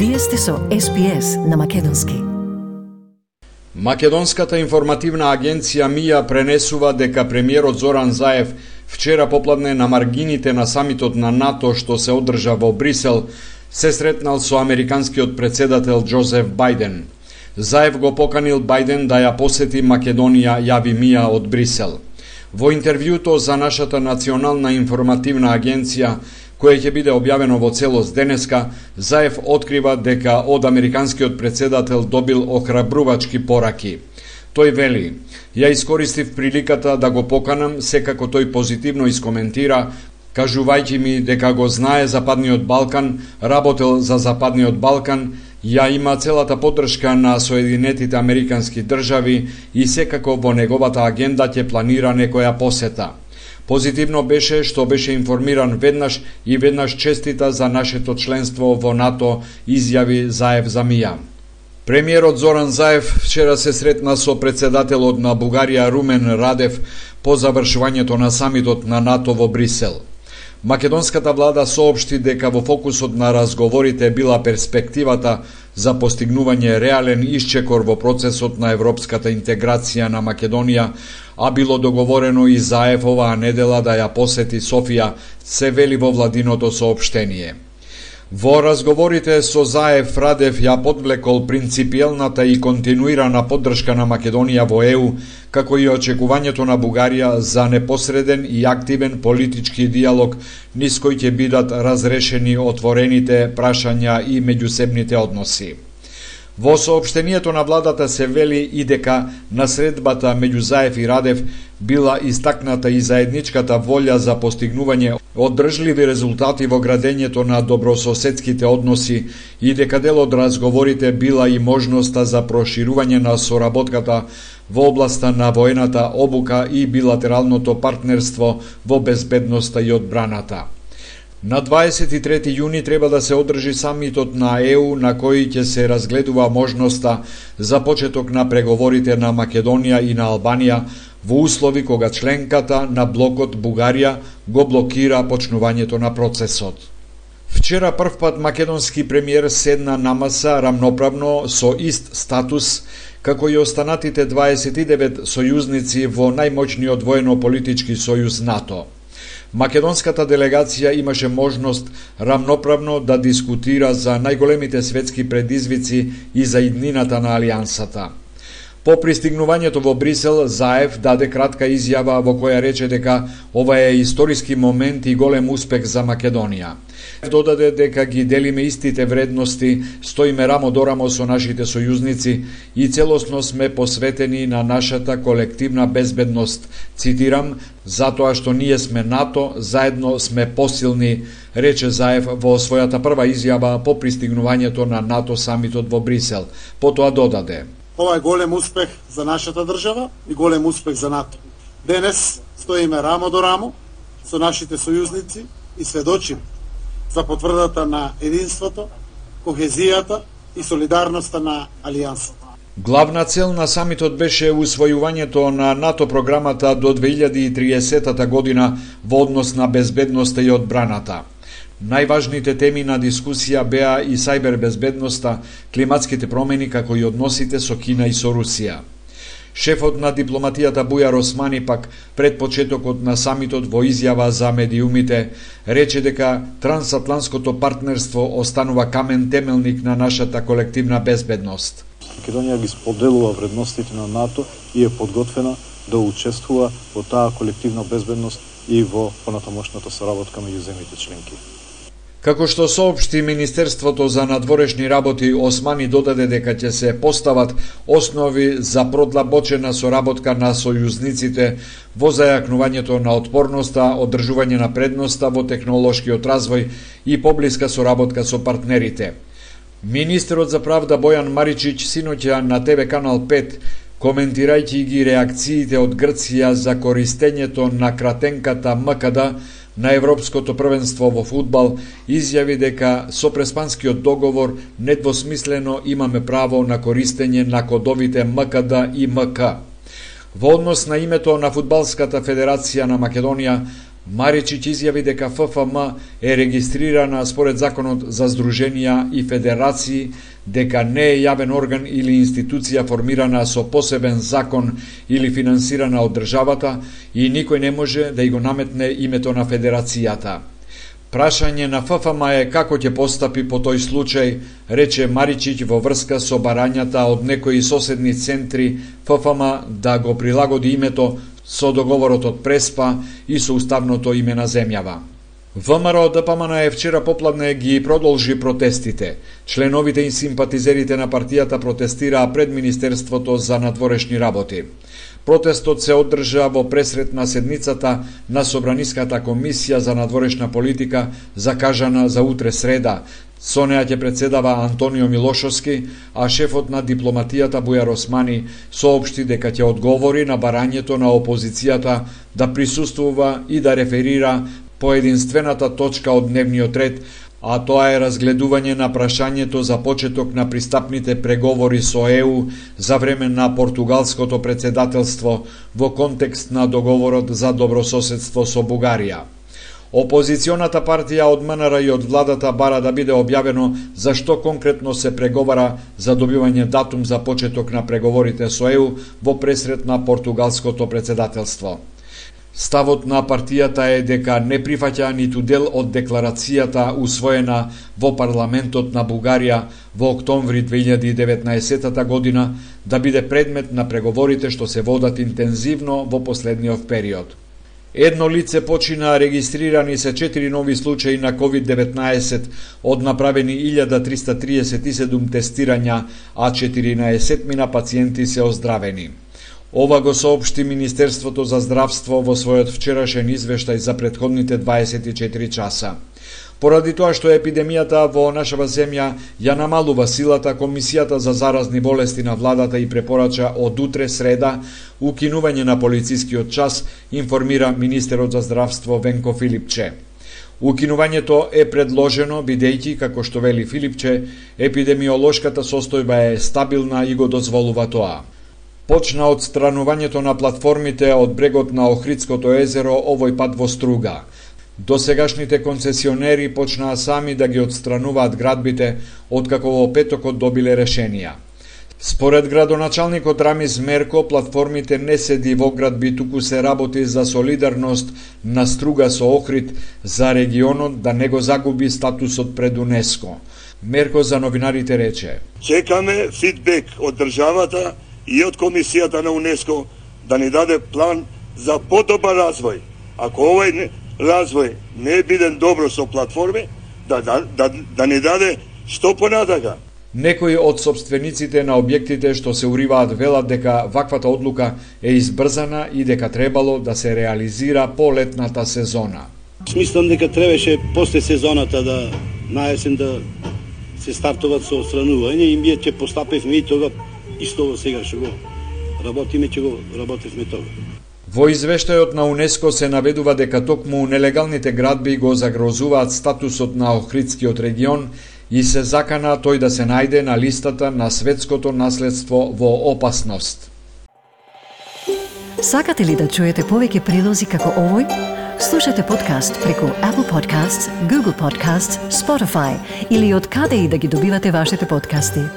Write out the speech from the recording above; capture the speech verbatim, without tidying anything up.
Вие сте со Ес Би Ес на македонски. Македонската информативна агенција МИА пренесува дека премиерот Зоран Заев вчера попладне на маргините на самитот на НАТО што се одржа во Брисел се сретнал со американскиот претседател Џозеф Бајден. Заев го поканил Бајден да ја посети Македонија, јави МИА од Брисел. Во интервјуто за нашата национална информативна агенција, кое ќе биде објавено во целост денеска, Заев открива дека од американскиот претседател добил охрабрувачки пораки. Тој вели: "Ја искористив приликата да го поканам, секако тој позитивно искоментира, кажувајќи ми дека го знае Западниот Балкан, работел за Западниот Балкан, ја има целата поддршка на Соединетите Американски држави и секако во неговата агенда ќе планира некоја посета. Позитивно беше што беше информиран веднаш и веднаш честита за нашето членство во НАТО", изјави Заев за МИА. Премиерот Зоран Заев вчера се сретна со претседателот на Бугарија Румен Радев по завршувањето на самитот на НАТО во Брисел. Македонската влада соопшти дека во фокусот на разговорите била перспективата за постигнување реален исчекор во процесот на европската интеграција на Македонија, а било договорено и Заев оваа недела да ја посети Софија, се вели во владиното соопштение. Во разговорите со Заев, Радев ја подвлекол принципиелната и континуирана поддршка на Македонија во Е У, како и очекувањето на Бугарија за непосреден и активен политички диалог низ кој ќе бидат разрешени отворените прашања и меѓусебните односи. Во соопштението на владата се вели и дека на средбата меѓу Заев и Радев била истакната и заедничката волја за постигнување одржливи резултати во градењето на добрососедските односи и дека дел од разговорите била и можноста за проширување на соработката во областа на воената обука и билатералното партнерство во безбедноста и одбраната. На дваесет и трети јуни треба да се одржи самитот на Е У, на кој ќе се разгледува можноста за почеток на преговорите на Македонија и на Албанија во услови кога членката на блокот Бугарија го блокира почнувањето на процесот. Вчера првпат македонски премиер седна на маса рамноправно со ист статус како и останатите дваесет и девет сојузници во најмоćниот воено-политички сојуз НАТО. Македонската делегација имаше можност рамноправно да дискутира за најголемите светски предизвици и за иднината на алијансата. По пристигнувањето во Брисел, Заев даде кратка изјава во која рече дека ова е историски момент и голем успех за Македонија. Додаде дека ги делиме истите вредности, стоиме рамо до рамо со нашите сојузници и целосно сме посветени на нашата колективна безбедност. Цитирам: "Затоа што ние сме НАТО, заедно сме посилни", рече Заев во својата прва изјава по пристигнувањето на НАТО самитот во Брисел. Потоа додаде: "Ова е голем успех за нашата држава и голем успех за НАТО. Денес стоиме рамо до рамо со нашите сојузници и сведочиме за потврдата на единството, кохезијата и солидарноста на алијансата." Главна цел на самитот беше усвојувањето на НАТО програмата до две илјади и триесета година во однос на безбедноста и одбраната. Најважните теми на дискусија беа и сајбербезбедноста, климатските промени, како и односите со Кина и со Русија. Шефот на дипломатијата Бујар Османи пак пред почетокот на самитот во изјава за медиумите рече дека трансатлантското партнерство останува камен темелник на нашата колективна безбедност. Македонија ги споделува вредностите на НАТО и е подготвена да учествува во таа колективна безбедност и во понатамошната соработка меѓу земјите членки. Како што соопшти Министерството за надворешни работи, Османи додаде дека ќе се постават основи за продлабочена соработка на сојузниците во зајакнувањето на отпорноста, одржување на предноста во технолошкиот развој и поблиска соработка со партнерите. Министерот за правда Бојан Маричич синоќа на Те Ве Канал пет, коментирајќи ги реакциите од Грција за користењето на кратенката М К Д на Европското првенство во фудбал, изјави дека со преспанскиот договор недвосмислено имаме право на користење на кодовите М К Д и М К. Во однос на името на Фудбалската федерација на Македонија, Маричиќ изјави дека Ф Ф М е регистрирана според Законот за здруженија и федерации, дека не е јавен орган или институција формирана со посебен закон или финансирана од државата и никој не може да ја го наметне името на федерацијата. Прашање на Ф Ф М е како ќе постапи по тој случај, рече Маричиќ во врска со барањата од некои соседни центри Ф Ф М да го прилагоди името со договорот од Преспа и со уставното име на земјава. В М Р Д П М Н е вчера попладне ги продолжи протестите. Членовите и симпатизерите на партијата протестираа пред Министерството за надворешни работи. Протестот се одржа во пресрет на седницата на Собраниската комисија за надворешна политика, закажана за утре среда. Со неа ќе председава Антонио Милошовски, а шефот на дипломатијата Бујар Османи соопшти дека ќе одговори на барањето на опозицијата да присуствува и да реферира по единствената точка од дневниот ред, а тоа е разгледување на прашањето за почеток на пристапните преговори со Е У за време на португалското председателство во контекст на договорот за добрососедство со Бугарија. Опозиционата партија од М Н Р и од владата бара да биде објавено зашто конкретно се преговара за добивање датум за почеток на преговорите со Е У во пресрет на португалското председателство. Ставот на партијата е дека не прифаќа ниту дел од декларацијата усвоена во парламентот на Бугарија во октомври две илјади и деветнаесетта година да биде предмет на преговорите што се водат интензивно во последниот период. Едно лице почина, регистрирани се четири нови случаи на ковид деветнаесет, од направени илјада триста триесет и седум тестирања, а четиринаесет мина пациенти се оздравени. Ова го соопшти Министерството за здравство во својот вчерашен извештај за претходните дваесет и четири часа. Поради тоа што епидемијата во нашава земја ја намалува силата, Комисијата за заразни болести на владата и препорача од утре среда укинување на полицискиот час, информира министерот за здравство Венко Филипче. Укинувањето е предложено бидејќи, како што вели Филипче, епидемиолошката состојба е стабилна и го дозволува тоа. Почна одстранувањето на платформите од брегот на Охридското езеро, овој пат во Струга. Досегашните концесионери почнаа сами да ги одстрануваат градбите, откако во петокот добиле решенија. Според градоначалникот Рамис Мерко, платформите не седи во градби, туку се работи за солидарност на Струга со Охрид, за регионот да не го загуби статусот пред УНЕСКО. Мерко за новинарите рече: Чекаме фидбек од државата и од Комисијата на УНЕСКО да ни даде план за подобар развој. Ако овој развој не е биден добро со платформи, да, да, да, да ни даде што понатака. Некои од собствениците на објектите што се уриваат велат дека ваквата одлука е избрзана и дека требало да се реализира по летната сезона. Смислам дека требаше после сезоната да наесен да се стартуваат со отстранување и ние ќе постапевме и тога исто сега што го работиме, ќе го работевме тога. Во извештајот на УНЕСКО се наведува дека токму нелегалните градби го загрозуваат статусот на Охридскиот регион и се закана тој да се најде на листата на светското наследство во опасност. Сакате ли да чуете повеќе прилози како овој? Слушате подкаст преку Apple Podcasts, Google Podcasts, Spotify или од каде и да ги добивате вашите подкасти.